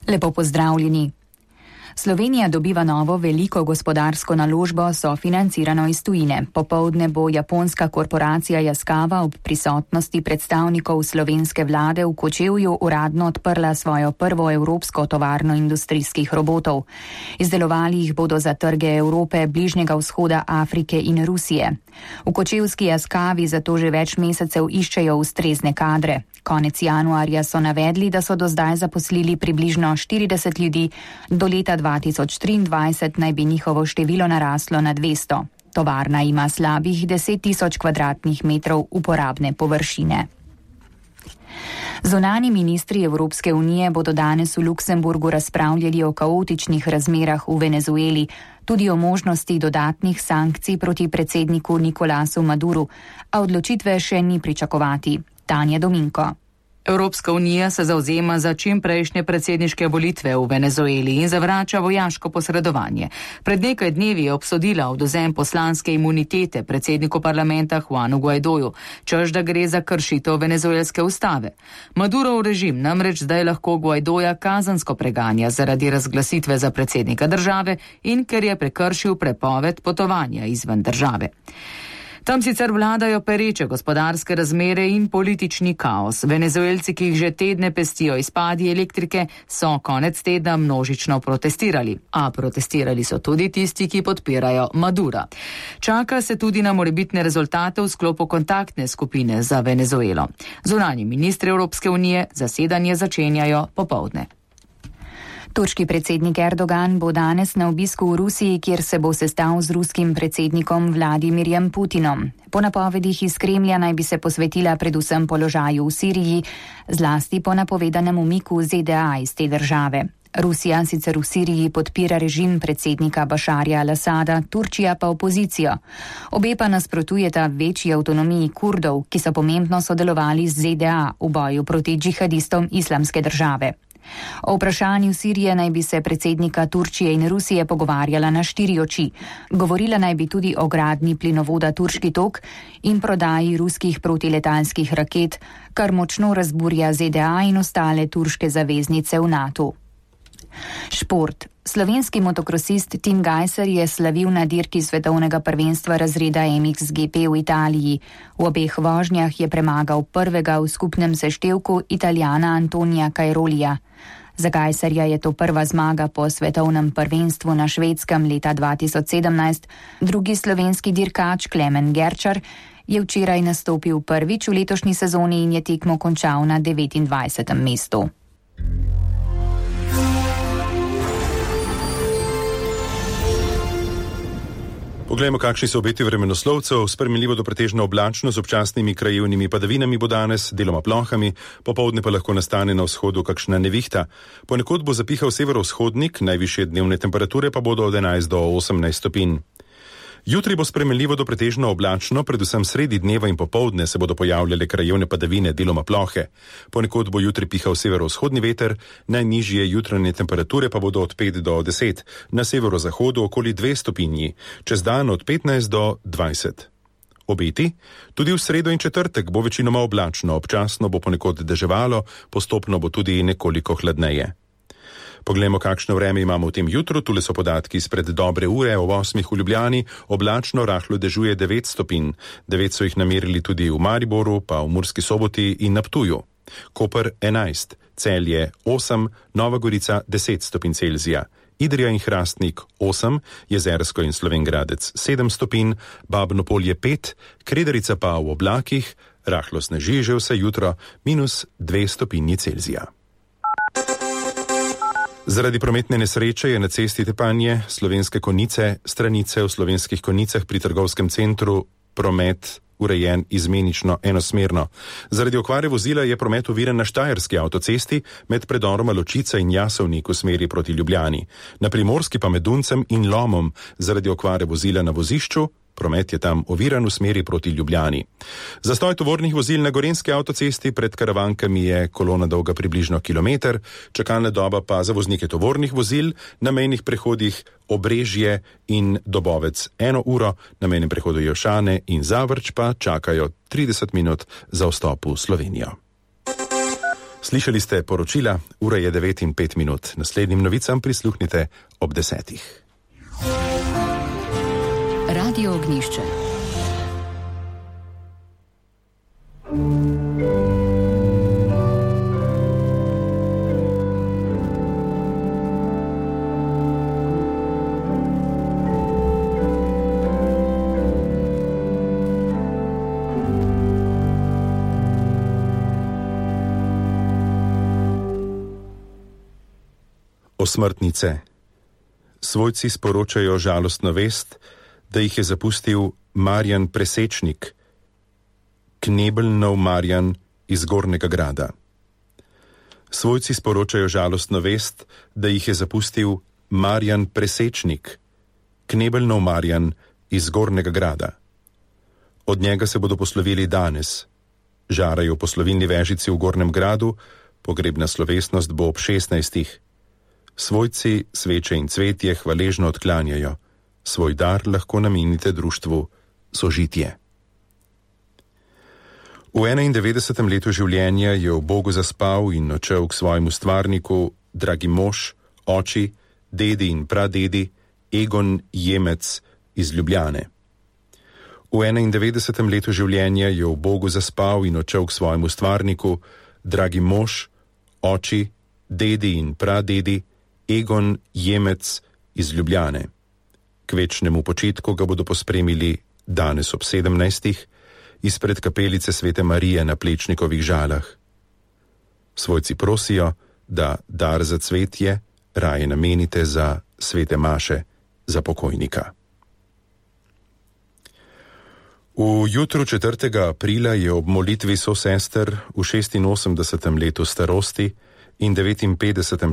Lepo pozdravljeni. Slovenija dobiva novo veliko gospodarsko naložbo, sofinancirano iz tujine. Popoldne bo japonska korporacija Yaskawa ob prisotnosti predstavnikov slovenske vlade v Kočevju uradno odprla svojo prvo evropsko tovarno industrijskih robotov. Izdelovali jih bodo za trge Evrope, Bližnjega vzhoda, Afrike in Rusije. V kočevski Yaskawi zato že več mesecev iščejo ustrezne kadre. Konec januarja so navedli, da so do zdaj zaposlili približno 40 ljudi, do leta 2023 naj bi njihovo število naraslo na 200. Tovarna ima slabih 10.000 kvadratnih metrov uporabne površine. Zunanji ministri Evropske unije bodo danes v Luksemburgu razpravljali o kaotičnih razmerah v Venezueli, tudi o možnosti dodatnih sankcij proti predsedniku Nikolasu Maduru, a odločitve še ni pričakovati. Tanja Dominko. Evropska unija se zavzema za čimprejšnje predsedniške volitve v Venezueli in zavrača vojaško posredovanje. Pred nekaj dnevi je obsodila odvzem poslanske imunitete predsedniku parlamenta Juanu Guaidoju, češ da gre za kršitev venezuelske ustave. Madurov režim namreč zdaj lahko Guaidoja kazensko preganja zaradi razglasitve za predsednika države in ker je prekršil prepoved potovanja izven države. Tam sicer vladajo pereče gospodarske razmere in politični kaos. Venezuelci, ki jih že tedne pestijo izpadi elektrike, so konec tedna množično protestirali. A protestirali so tudi tisti, ki podpirajo Madura. Čaka se tudi na morebitne rezultate v sklopu kontaktne skupine za Venezuelo. Zunanji ministri Evropske unije zasedanje začenjajo popoldne. Turški predsednik Erdogan bo danes na obisku v Rusiji, kjer se bo sestal z ruskim predsednikom Vladimirjem Putinom. Po napovedih iz Kremlja naj bi se posvetila predvsem položaju v Siriji, zlasti po napovedanem umiku ZDA iz te države. Rusija sicer v Siriji podpira režim predsednika Bašarja al-Asada, Turčija pa opozicijo. Obe pa nasprotujeta večji avtonomiji Kurdov, ki so pomembno sodelovali z ZDA v boju proti džihadistom Islamske države. O vprašanju Sirije naj bi se predsednika Turčije in Rusije pogovarjala na 4 oči. Govorila naj bi tudi o gradnji plinovoda Turški tok in prodaji ruskih protiletalskih raket, kar močno razburja ZDA in ostale turške zaveznice v NATO. Šport. Slovenski motokrosist Tim Gajser je slavil na dirki svetovnega prvenstva razreda MXGP v Italiji. V obeh vožnjah je premagal prvega v skupnem seštevku Italijana Antonija Cairolija. Za Gajserja je to prva zmaga po svetovnem prvenstvu na Švedskem leta 2017. Drugi slovenski dirkač Klemen Gerčar je včeraj nastopil prvič v letošnji sezoni in je tekmo končal na 29. mestu. Poglejmo, kakšni so obeti vremenoslovcev. Spremenljivo do pretežno oblačno z občasnimi krajevnimi padavinami bo danes, deloma plohami, popoldne pa lahko nastane na vzhodu kakšna nevihta. Ponekod bo zapihal severovzhodnik, najvišje dnevne temperature pa bodo od 11 do 18 stopinj. Jutri bo spremenljivo do pretežno oblačno, predvsem sredi dneva in popoldne se bodo pojavljale krajevne padavine, deloma plohe. Ponekod bo jutri pihal severovzhodni veter, najnižje jutranje temperature pa bodo od 5 do 10, na severozahodu okoli 2 stopinji, čez dan od 15 do 20. Obeti? Tudi v sredo in četrtek bo večinoma oblačno, občasno bo ponekod deževalo, postopno bo tudi nekoliko hladneje. Poglejmo, kakšno vreme imamo v tem jutru. Tule so podatki izpred dobre ure. Ob 8 v Ljubljani oblačno, rahlo dežuje 9 stopinj. 9 so jih namerili tudi v Mariboru, pa v Murski Soboti in na Ptuju. Koper 11, Celje 8, Nova Gorica 10 stopinj Celzija. Idrija in Hrastnik 8, Jezersko in Slovenj Gradec 7 stopinj, Babno Polje 5, Kredarica pa v oblakih, rahlo sneži že vse jutro, -2 stopinji Celzija. Zaradi prometne nesreče je na cesti Tepanje Slovenske Konjice, stranice v Slovenskih Konjicah pri trgovskem centru promet urejen izmenično enosmerno. Zaradi okvare vozila je promet oviran na Štajerski avtocesti med predoroma Ločica in Jasovnik v smeri proti Ljubljani. Na Primorski pa med Duncem in Lomom zaradi okvare vozila na vozišču. Promet je tam oviran v smeri proti Ljubljani. Zastoj tovornih vozil na Gorenjski avtocesti pred Karavankami je kolona dolga približno kilometer, čakalna doba pa za voznike tovornih vozil na mejnih prehodih Obrežje in Dobovec 1 uro, na mejnem prehodu Jošane in Zavrč pa čakajo 30 minut za vstop v Slovenijo. Slišali ste poročila, ura je 9:05. Naslednjim novicam prisluhnite ob 10. Radio Ognjišče. Osmrtnice. Svojci sporočajo žalostno vest, da jih je zapustil Marjan Presečnik, Knebelnov Marjan iz Gornjega Grada. Svojci sporočajo žalostno vest, da jih je zapustil Marjan Presečnik, Knebelnov Marjan iz Gornjega Grada. Od njega se bodo poslovili danes. Žarajo poslovilni vežici v Gornjem Gradu, pogrebna slovesnost bo ob 16. Svojci sveče in cvetje hvaležno odklanjajo. Svoj dar lahko namenite društvu Sožitje. V 91. letu življenja je v Bogu zaspal in odšel k svojemu stvarniku, dragi mož, oči, dedi in pradedi, Egon Jemec iz Ljubljane. V 91. letu življenja je v Bogu zaspal in odšel k svojemu stvarniku, dragi mož, oči, dedi in pradedi, Egon Jemec iz Ljubljane. K večnemu počitku ga bodo pospremili danes ob 17. izpred kapelice Svete Marije na Plečnikovih Žalah. Svojci prosijo, da dar za cvetje raje namenite za svete maše za pokojnika. V jutru 4. aprila je ob molitvi sosester v 86. letu starosti in 59.